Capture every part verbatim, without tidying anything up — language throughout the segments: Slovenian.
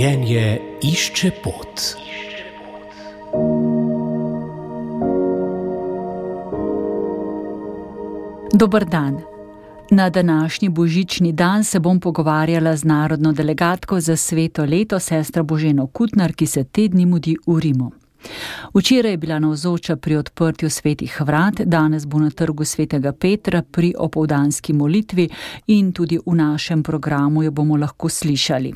Življenje išče pot. Dober dan. Na današnji božični dan se bom pogovarjala z narodno delegatko za sveto leto, sestro Boženo Kutnar, ki se te dni mudi v Rimu. Včeraj je bila navzoča pri odprtju svetih vrat, danes bo na trgu svetega Petra pri opoldanski molitvi in tudi v našem programu jo bomo lahko slišali.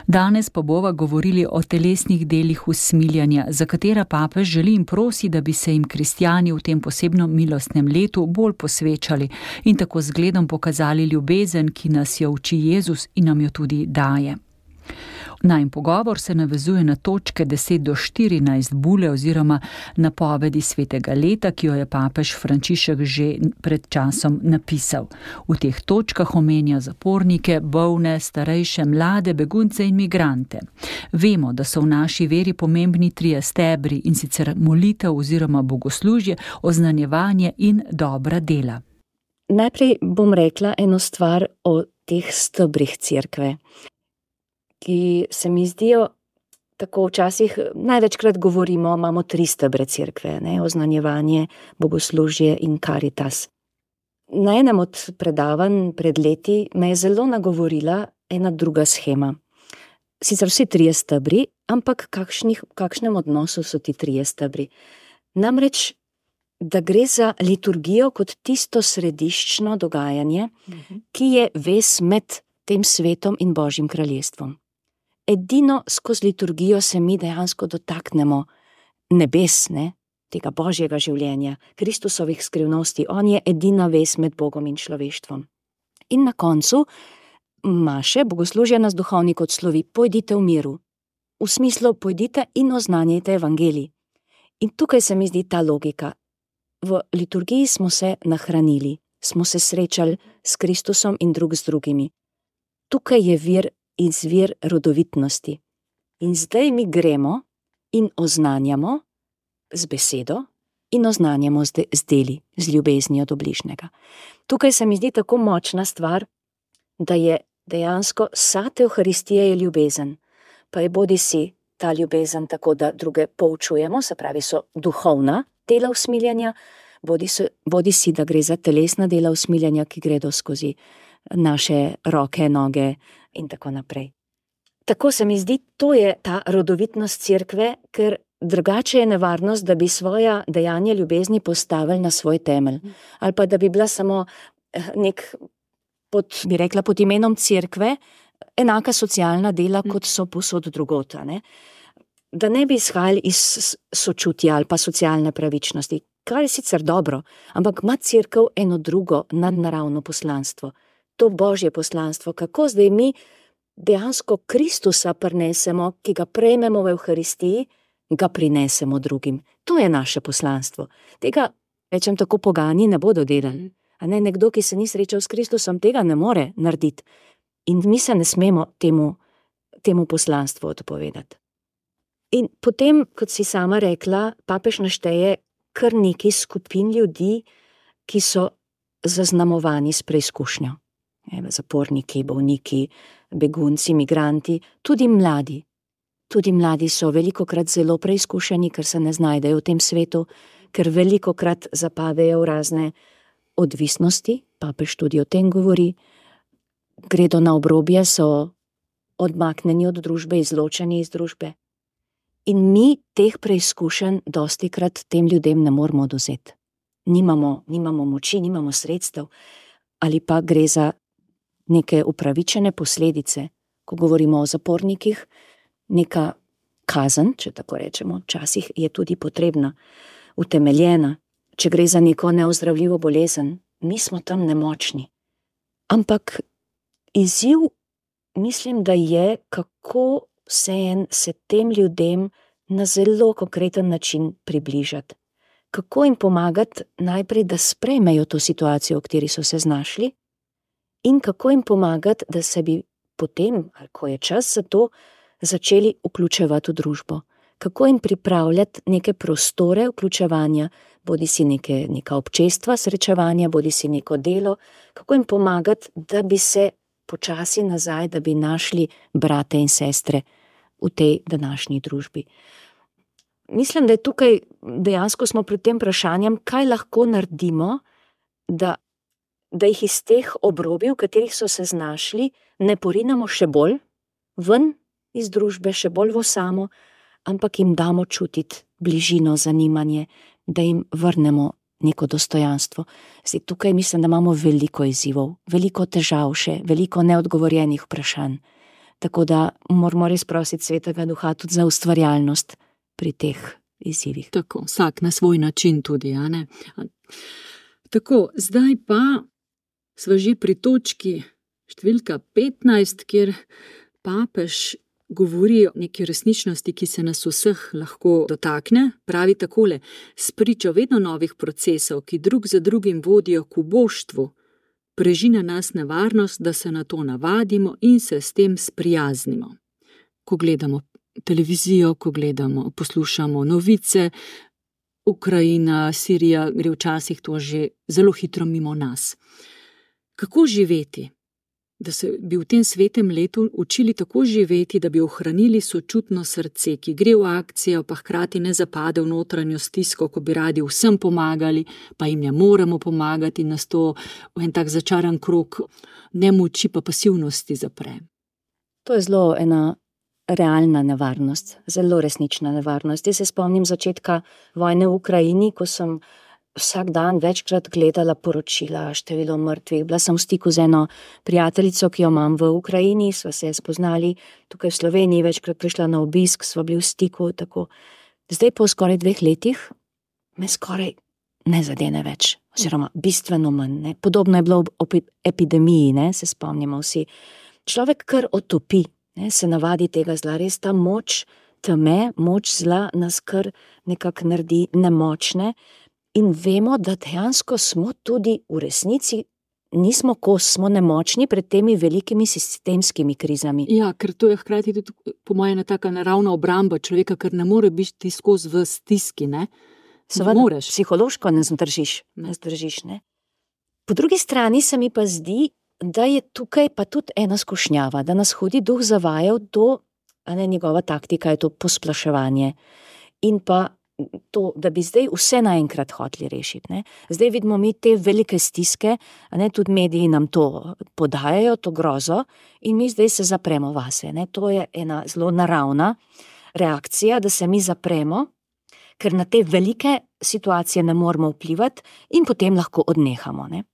Danes pa bova govorili o telesnih delih usmiljanja, za katera papež želi in prosi, da bi se jim kristjani v tem posebnem milostnem letu bolj posvečali in tako z zgledom pokazali ljubezen, ki nas jo uči Jezus in nam jo tudi daje. Najin pogovor se navezuje na točke deset do štirinajst bule oziroma napovedi svetega leta, ki jo je papež Frančišek že pred časom napisal. V teh točkah omenja zapornike, bolne, starejše, mlade, begunce in migrante. Vemo, da so v naši veri pomembni trije stebri, in sicer molitev oziroma bogoslužje, oznanjevanje in dobra dela. Najprej bom rekla eno stvar o teh stebrih cerkve, ki se mi zdijo tako včasih, največkrat govorimo, imamo tri stebre cerkve, ne, oznanjevanje, bogoslužje in karitas. Na enem od predavanj pred leti me je zelo nagovorila ena druga shema. Sicer vsi trije stebri, ampak kakšnih, v kakšnem odnosu so ti trije stebri. Namreč, da gre za liturgijo kot tisto središčno dogajanje, uh-huh. ki je vez med tem svetom in Božjim kraljestvom. Edino skozi liturgijo se mi dejansko dotaknemo nebes, ne, tega Božjega življenja, Kristusovih skrivnosti. On je edina vez med Bogom in človeštvom. In na koncu maše, bogoslužja nas duhovnik odslovi, pojdite v miru. V smislu, pojdite in oznanjajte evangelij. In tukaj se mi zdi ta logika. V liturgiji smo se nahranili, smo se srečali s Kristusom in drug z drugimi. Tukaj je vir izvir rodovitnosti. In zdaj mi gremo in oznanjamo z besedo in oznanjamo z, de, z deli, z ljubeznijo do bližnjega. Tukaj se mi zdi tako močna stvar, da je dejansko sad Evharistije je ljubezen. Pa je bodi si ta ljubezen tako, da druge poučujemo, se pravi so duhovna dela usmiljanja, bodi, so, bodi si, da gre za telesna dela usmiljanja, ki gredo skozi naše roke, noge in tako naprej. Tako se mi zdi, to je ta rodovitnost cerkve, ker drugače je nevarnost, da bi svoja dejanja ljubezni postavili na svoj temelj. Ali pa da bi bila samo nek, pod, bi rekla, pod imenom cerkve, enaka socialna dela, kot so povsod drugota, ne? Da ne bi izhajali iz sočutja ali pa socialne pravičnosti, kar je sicer dobro, ampak ima cerkev eno drugo nadnaravno poslanstvo. To Božje poslanstvo, kako zdaj mi dejansko Kristusa prinesemo, ki ga prejmemo v Evharistiji, ga prinesemo drugim. To je naše poslanstvo. Tega, rečem tako, pogani ne bodo delali. A ne, nekdo, ki se ni srečal s Kristusom, tega ne more narediti. In mi se ne smemo temu, temu poslanstvu odpovedati. In potem, kot si sama rekla, papež našteje kar nekaj skupin ljudi, ki so zaznamovani s preizkušnjo. Zaporniki, bolniki, begunci, migranti, tudi mladi. Tudi mladi so velikokrat zelo preizkušeni, ker se ne znajdejo v tem svetu, ker velikokrat zapadejo v razne odvisnosti, papež tudi o tem govori, gredo na obrobje, so odmaknjeni od družbe, izločeni iz družbe. In mi teh preizkušenj dostikrat tem ljudem ne moremo odvzeti. Nimamo, nimamo moči, nimamo sredstev, ali pa gre za neke upravičene posledice, ko govorimo o zapornikih, neka kazen, če tako rečemo, včasih je tudi potrebna, utemeljena, če gre za neko neozdravljivo bolezen, mi smo tam nemočni. Ampak izziv, mislim, da je, kako se, en, se tem ljudem na zelo konkreten način približati. Kako jim pomagati najprej, da sprejmejo to situacijo, v kateri so se znašli, in kako jim pomagati, da se bi potem, ali ko je čas za to, začeli vključevati v družbo. Kako jim pripravljati neke prostore vključevanja, bodi si neke, neka občestva srečevanja, bodi si neko delo, kako jim pomagati, da bi se počasi nazaj, da bi našli brate in sestre v tej današnji družbi. Mislim, da je tukaj dejansko smo pred tem vprašanjem, kaj lahko naredimo, da, da jih iz teh obrobij, v katerih so se znašli, ne porinemo še bolj ven iz družbe, še bolj v samo, ampak jim damo čutiti bližino, zanimanje, da jim vrnemo neko dostojanstvo. Zdaj, tukaj mislim, da imamo veliko izzivov, veliko težav še, veliko neodgovorjenih vprašanj. Tako da moramo res prositi Svetega Duha tudi za ustvarjalnost pri teh izzivih. Tako, vsak na svoj način tudi, a ne? Tako, zdaj pa sva že pri točki številka petnajst, kjer papež govori o neki resničnosti, ki se nas vseh lahko dotakne. Pravi takole: spričo vedno novih procesov, ki drug za drugim vodijo k uboštvu, preži na nas nevarnost, da se na to navadimo in se s tem sprijaznimo. Ko gledamo televizijo, ko gledamo, poslušamo novice, Ukrajina, Sirija, gre včasih to že zelo hitro mimo nas. Kako živeti? Da se bi v tem svetem letu učili tako živeti, da bi ohranili sočutno srce, ki gre v akcijo, pa hkrati ne zapade v notranjo stisko, ko bi radi vsem pomagali, pa jim ne moremo pomagati, nas to v en tak začaran krog nemoči pa pasivnosti zapre. To je zelo ena realna nevarnost, zelo resnična nevarnost. Jaz se spomnim začetka vojne v Ukrajini, ko sem vsak dan večkrat gledala poročila, število mrtvih. Bila sem v stiku z eno prijateljico, ki jo imam v Ukrajini, sva se spoznali tukaj v Sloveniji, večkrat prišla na obisk, sva bili v stiku, tako. Zdaj po skoraj dveh letih me skoraj ne zadene več, oziroma bistveno manj, ne. Podobno je bilo ob epidemiji, ne, se spomnimo vsi. Človek kar otopi, ne, se navadi tega zla, res ta moč teme, moč zla nas kar nekako naredi nemočne. In vemo, da dejansko smo tudi v resnici, nismo kos, smo nemočni pred temi velikimi sistemskimi krizami. Ja, ker to je hkrati tudi po moje ena taka naravna obramba človeka, ker ne more biti skozi v stiski, ne? Seveda, psihološko ne zdržiš, ne zdržiš, ne? Po drugi strani se mi pa zdi, da je tukaj pa tudi ena skušnjava, da nas hudi duh zavajal to, a ne, njegova taktika je to posplaševanje. In pa to, da bi zdaj vse naenkrat hoteli rešiti, ne. Zdaj vidimo mi te velike stiske, a ne, tudi mediji nam to podajajo, to grozo, in mi zdaj se zapremo vase, ne. To je ena zelo naravna reakcija, da se mi zapremo, ker na te velike situacije ne moremo vplivati in potem lahko odnehamo, ne.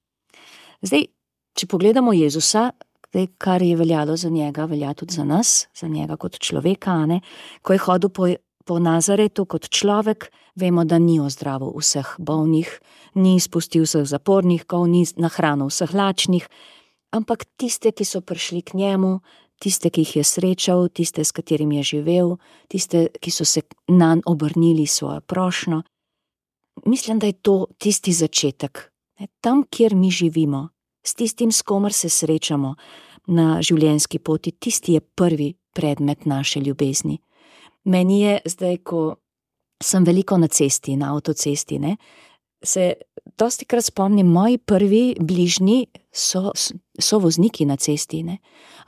Zdaj, če pogledamo Jezusa, zdaj, kar je veljalo za njega, velja tudi za nas, za njega kot človeka, a ne, ko je hodil po Po Nazaretu kot človek, vemo, da ni ozdravil vseh bolnih, ni izpustil vseh zapornikov, ni nahranil vseh lačnih, ampak tiste, ki so prišli k njemu, tiste, ki jih je srečal, tiste, s katerimi je živel, tiste, ki so se nanj obrnili svojo prošnjo. Mislim, da je to tisti začetek. Tam, kjer mi živimo, s tistim, s komer se srečamo na življenjski poti, tisti je prvi predmet naše ljubezni. Meni je zdaj, ko sem veliko na cesti, na avtocesti, ne, se dostikrat spomnim, moji prvi bližnji so, so vozniki na cesti, ne,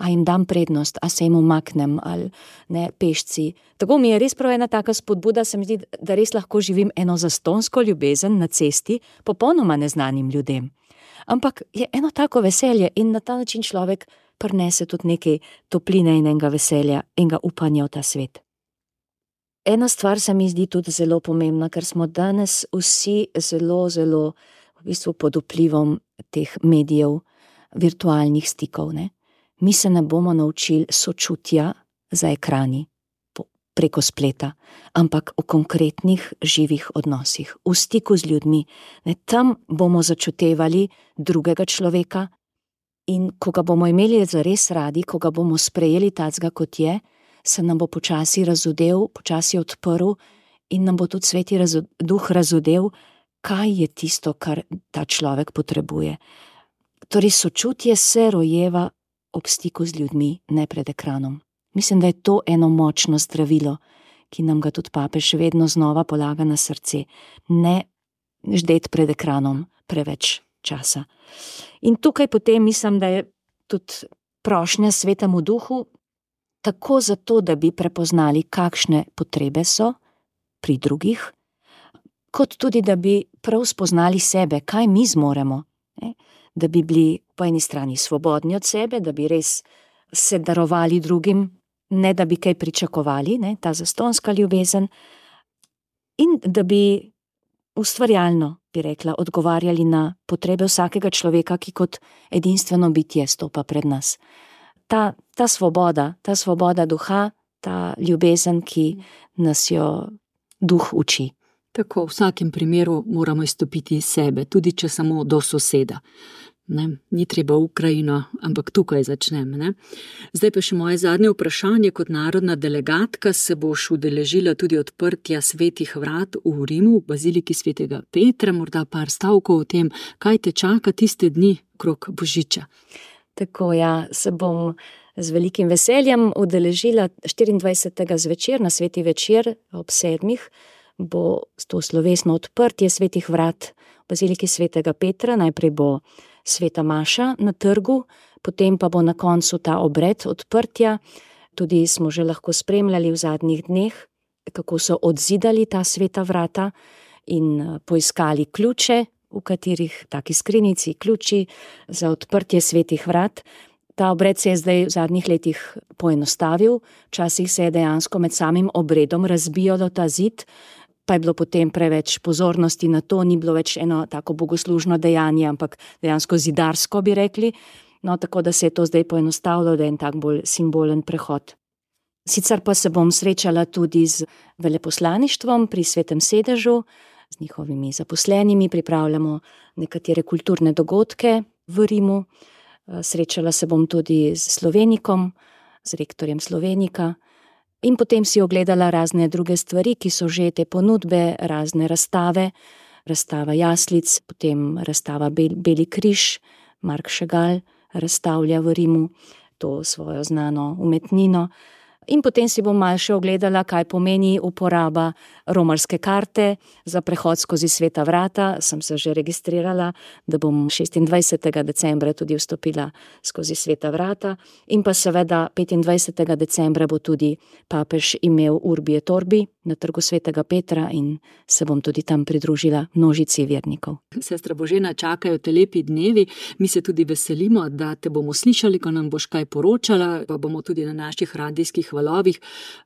a jim dam prednost, a se jim umaknem, ali ne, pešci. Tako mi je res prav ena taka spodbuda, se mi zdi, da res lahko živim eno zastonsko ljubezen na cesti, popolnoma neznanim ljudem. Ampak je eno tako veselje in na ta način človek prinese tudi nekaj topline in enega veselja, enega upanja v ta svet. Ena stvar se mi zdi tudi zelo pomembna, ker smo danes vsi zelo, zelo v bistvu pod vplivom teh medijev, virtualnih stikov, ne. Mi se ne bomo naučili sočutja za ekrani, preko spleta, ampak v konkretnih živih odnosih, v stiku z ljudmi, ne. Tam bomo začutevali drugega človeka in ko ga bomo imeli zares radi, ko ga bomo sprejeli tacga, kot je, se nam bo počasi razodel, počasi odprl in nam bo tudi sveti razo, duh razodel, kaj je tisto, kar ta človek potrebuje. Torej, sočutje se rojeva ob stiku z ljudmi, ne pred ekranom. Mislim, da je to eno močno zdravilo, ki nam ga tudi papež vedno znova polaga na srce. Ne ždeti pred ekranom preveč časa. In tukaj potem mislim, da je tudi prošnja Svetemu Duhu, tako zato, da bi prepoznali, kakšne potrebe so pri drugih, kot tudi, da bi prav spoznali sebe, kaj mi zmoremo, ne? Da bi bili po eni strani svobodni od sebe, da bi res se darovali drugim, ne da bi kaj pričakovali, ne? Ta zastonska ljubezen, in da bi ustvarjalno, bi rekla, odgovarjali na potrebe vsakega človeka, ki kot edinstveno bitje stopa pred nas. Ta, ta svoboda, ta svoboda duha, ta ljubezen, ki nas jo duh uči. Tako, v vsakem primeru moramo izstopiti iz sebe, tudi če samo do soseda. Ne, ni treba v Ukrajino, ampak tukaj začnem. Ne. Zdaj pa še moje zadnje vprašanje. Kot narodna delegatka se boš udeležila tudi odprtja svetih vrat v Rimu, v baziliki svetega Petra, morda par stavkov o tem, kaj te čaka tiste dni okrog Božiča. Tako, ja, se bom z velikim veseljem udeležila štiriindvajsetega zvečer, na sveti večer ob sedmih, bo to slovesno odprtje svetih vrat v baziliki svetega Petra. Najprej bo sveta maša na trgu, potem pa bo na koncu ta obred odprtja. Tudi smo že lahko spremljali v zadnjih dneh, kako so odzidali ta sveta vrata in poiskali ključe, v katerih taki skrinjici, ključi za odprtje svetih vrat. Ta obred se je zdaj v zadnjih letih poenostavil, včasih se je dejansko med samim obredom razbijalo ta zid, pa je bilo potem preveč pozornosti na to, ni bilo več eno tako bogoslužno dejanje, ampak dejansko zidarsko, bi rekli. No, tako da se je to zdaj poenostavilo, da je en tak bolj simbolen prehod. Sicer pa se bom srečala tudi z veleposlaništvom pri Svetem sedežu, z njihovimi zaposlenimi, pripravljamo nekatere kulturne dogodke v Rimu. Srečala se bom tudi z Slovenikom, z rektorjem Slovenika, in potem si ogledala razne druge stvari, ki so že te ponudbe, razne razstave, razstava jaslic, potem razstava Bel, Beli križ, Mark Chagall razstavlja v Rimu to svojo znano umetnino. In potem si bom malo še ogledala, kaj pomeni uporaba romarske karte za prehod skozi sveta vrata. Sem se že registrirala, da bom šestindvajsetega decembra tudi vstopila skozi sveta vrata. In pa seveda petindvajsetega decembra bo tudi papež imel Urbi et Orbi na trgu svetega Petra in se bom tudi tam pridružila množici vernikov. Sestra Božena, čakajo te lepi dnevi. Mi se tudi veselimo, da te bomo slišali, ko nam boš kaj poročala, pa bomo tudi na naših radijskih valovih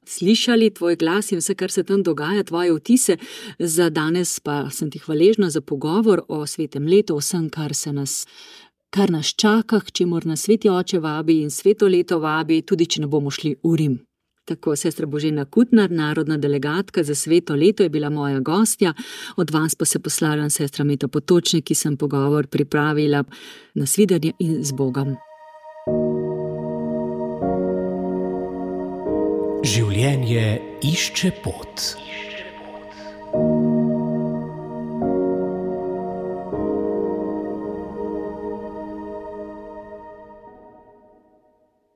slišali tvoj glas in vse, kar se tam dogaja, tvoje vtise. Za danes pa sem ti hvaležna za pogovor o svetem letu, vsem, kar se nas, kar nas čaka, k čemur nas Sveti Oče vabi in sveto leto vabi, tudi če ne bomo šli v Rim. Tako, sestra Božena Kutnar, narodna delegatka za sveto leto, je bila moja gostja. Od vas pa se poslavljam sestra Meta Potočnik, ki sem pogovor pripravila. Nasvidenje in z Bogom. Življenje išče pot.